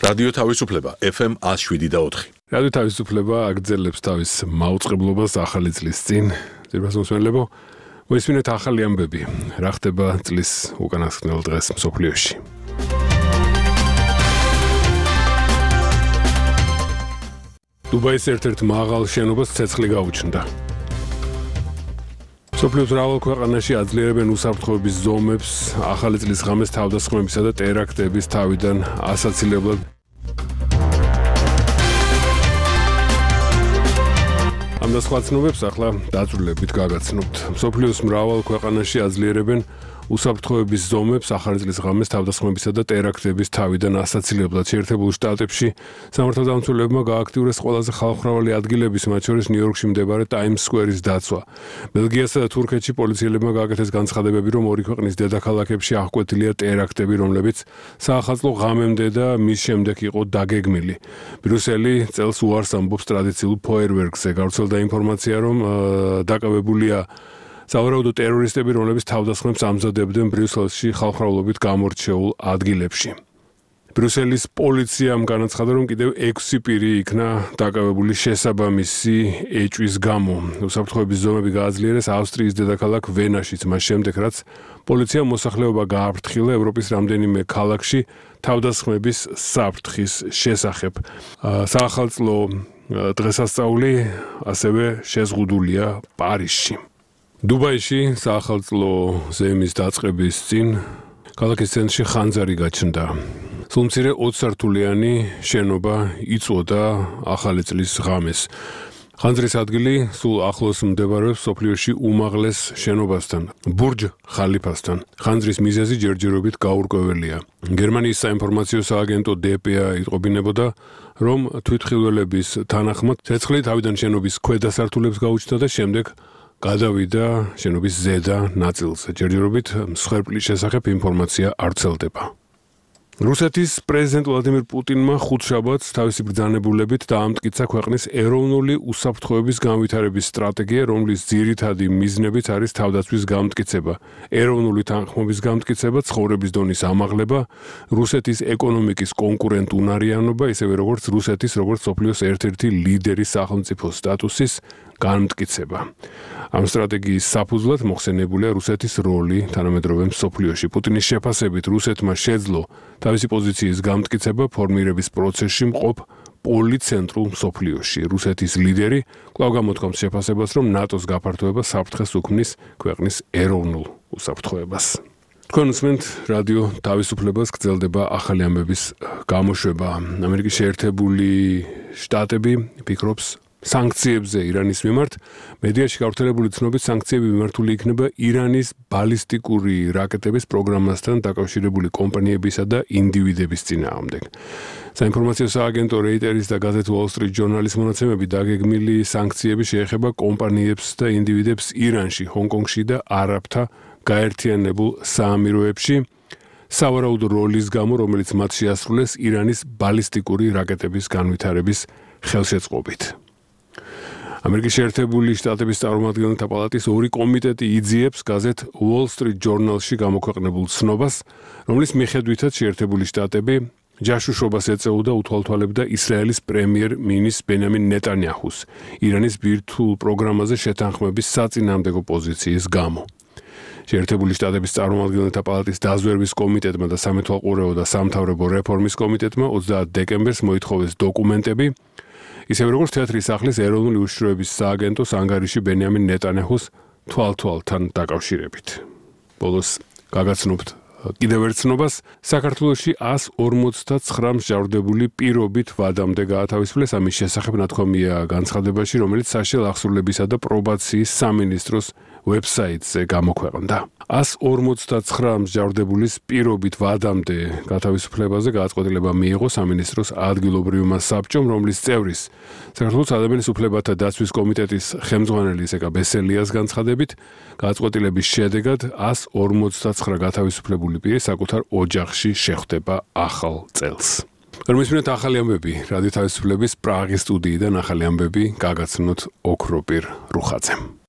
რადიო თავისუფლება FM 107.4. რადიო თავისუფლება აგრძელებს თავის მაუწყებლობას ახალი წლის წინ. ძირფას მოსმენელებო, მოისმინეთ ახალი ამბები. რა ხდება წლის უკანასკნელ დღეს მსოფლიოში. დუბაის ერთ-ერთ მაღალ შენობას ცეცხლი გაუჩნდა. მსოფლიოს მრავალ ქვეყანაში აძლიერებენ უსაფრთხოების ზომებს, ახალი წლის ღამეს თავდასხმებისა და ტერაქტების თავიდან ასაცილებლად ამ და სხვა ცნობებს ახლა დაწვრილებით გაგაცნობთ. მსოფლიოს მრავალ ქვეყანაში აძლიერებენ უსაფრთხოების ზომებს, ახალი წლის ღამეს თავდასხმებისა და ტერაქტების თავიდან ასაცილებლად. შეერთებულ შტატებში სამართალდამცველებმა გააქტიურეს ყველაზე ხალხმრავალი ადგილების, მათ შორის ნიუ-იორკში მდებარე ტაიმს სკვერის დაცვა. ბელგიასა და თურქეთში პოლიციელებმა გააკეთეს განცხადებები, რომ ორი ქვეყნის დედაქალაქებში აღკვეთილია ტერაქტები, რომლებიც საახალწლო ღამემდე და მის შემდეგ იყო დაგეგმილი. ბრიუსელი წელს უარს ამბობს ტრადიციულ ფოიერვერკზე. გავრცელდა ინფორმაცია, რომ დაკავებულია სავარაუდო ტერორისტები, რომლებიც თავდასხმებს ამზადებდნენ ბრიუსელში ხალხმრავლობით გამორჩეულ ადგილებში. ბრიუსელის პოლიციამ განაცხადა, რომ კიდევ 6 პირი იქნა დაკავებული შესაბამისი ეჭვის გამო. უსაფრთხოების ზომები გააძლიერეს ავსტრიის დედაქალაქ ვენაშიც, მას შემდეგ, რაც პოლიციამ მოსახლეობა გააფრთხილა ევროპის რამდენიმე ქალაქში თავდასხმების საფრთხის შესახებ. საახალწლო დღესასწაული ასევე შეზღუდულია პარიზში. დუბაიში საახალწლო ზეიმის დაწყების წინ ქალაქის ცენტრში ხანძარი გაჩნდა. სულ მცირე 20 სართულიანი შენობა იწვოდა ახალი წლის ღამეს. ხანძრის ადგილი სულ ახლოს მდებარეობს მსოფლიოში უმაღლეს შენობასთან, ბურჯ ხალიფასთან. ხანძრის მიზეზი ჯერჯერობით გაურკვეველია. გერმანიის საინფორმაციო სააგენტო DPA იტყობინებოდა, რომ თვითმხილველების თანახმად ცეცხლი თავიდან შენობის ქვედა სართულებს გაუჩნდა და შემდეგ გადავიდა შენობის ზედა ნაწილზე. ჯერჯერობით მსხვერპლის შესახებ ინფორმაცია არ ვრცელდება. რუსეთის პრეზიდენტ ვლადიმირ პუტინმა ხუთშაბათს თავისი ბრძანებულებით დაამტკიცა ქვეყნის ეროვნული უსაფრთხოების განვითარების სტრატეგია, რომლის ძირითადი მიზნებიც არის თავდაცვის გამტკიცება, ეროვნული თანხმობის გამტკიცება, ცხოვრების დონის ამაღლება, რუსეთის ეკონომიკის კონკურენტუნარიანობა, ისევე როგორც რუსეთის როგორც მსოფლიოს ერთ-ერთი ლიდერის სახელმწიფო სტატუსის განმტკიცება. ამ სტრატეგიის საფუძვლად მოხსენებულია რუსეთის როლი თანამედროვე მსოფლიოში. პუტინის შეფასებით რუსეთმა შეძლო თავისი პოზიციის გამტკიცება ფორმირების პროცესში მყოფ პოლიცენტრულ მსოფლიოში. რუსეთის ლიდერი კვლავ გამოთქვამს შეფასებას, რომ ნატოს გაფართოება საფრთხეს უქმნის ქვეყნის ეროვნულ უსაფრთხოებას. თქვენ უსმენთ რადიო თავისუფლებას, გრძელდება ახალი ამბების გამოშვება. ამერიკის შეერთებული შტატები ფიქრობს სანქციებზე ირანის მიმართ. მედიაში გავრცელებული ცნობით სანქციები მიმართული იქნება ირანის ბალისტიკური რაკეტების პროგრამასთან დაკავშირებული კომპანიებისა და ინდივიდების წინააღმდეგ. საინფორმაციო სააგენტო რეიტერის და გაზეთ Wall Street Journal-ის მონაცემები დაგეგმილი სანქციები შეეხება კომპანიებს და ინდივიდებს ირანში, ჰონკონგში და არაბთა გაერთიანებულ საამიროებში სავარაუდო როლის გამო, რომელიც მათ შეასრულეს ირანის ბალისტიკური რაკეტების განვითარების ხელშეწყობით. ამერიკის შეერთებული შტატების წარმომადგენელთა პალატის ორი კომიტეტი იძიებს გაზეთ Wall Street Journal-ში გამოქვეყნებულ ცნობას, რომლის მიხედვითაც შეერთებული შტატები ჯაშუშობას ეწეოდა უთვალთვალებდა ისრაელის პრემიერ-მინისტრ ბენიამინ ნეტანიაჰუს ირანის ბირთვულ პროგრამაზე შეთანხმების საწინააღმდეგო პოზიციის გამო. შეერთებული შტატების წარმომადგენელთა პალატის დაზვერვის კომიტეტმა და სამეთვალყურეო და სამთავრობო რეფორმის კომიტეტმა 30 დეკემბერს მოითხოვეს დოკუმენტები, ისევე როგორც თეატრის სახლის ეროვნული უშიშროების სააგენტოს ანგარიში ბენიამინ ნეტანიაჰუს თვალთვალთან დაკავშირებით. ბოლოს გაგაცნობთ კიდევ ერთ ცნობას. საქართველოში 159 მსჯავრდებული პირობით ვადამდე გაათავისუფლეს. ამის შესახებ ნათქვამია განცხადებაში, რომელიც საშიელ აღსრულებისა და პრობაციის სამინისტროს ვებსაიტზე გამოქვეყნდა. 159 მსჯავრდებულის პირობით ვადამდე გათავისუფლებაზე გადაწყვეტილება მიიღო სამინისტროს ადგილობრივმა საბჭომ, რომლის წევრის საქართველოს ადამიანის უფლებათა დაცვის კომიტეტის ხელმძღვანელი ზეკა ბესელიას განცხადებით, გადაწყვეტილების შედეგად 159 გათავისუფლებული პირი საკუთარ ოჯახში შეხვდება ახალ წელს. Რომისმენთ ახალი ამბები რადიო თავისუფლების პრაღის სტუდიიდან ახალი ამბები გაგაცნოთ ოქროპირ რუხაძემ.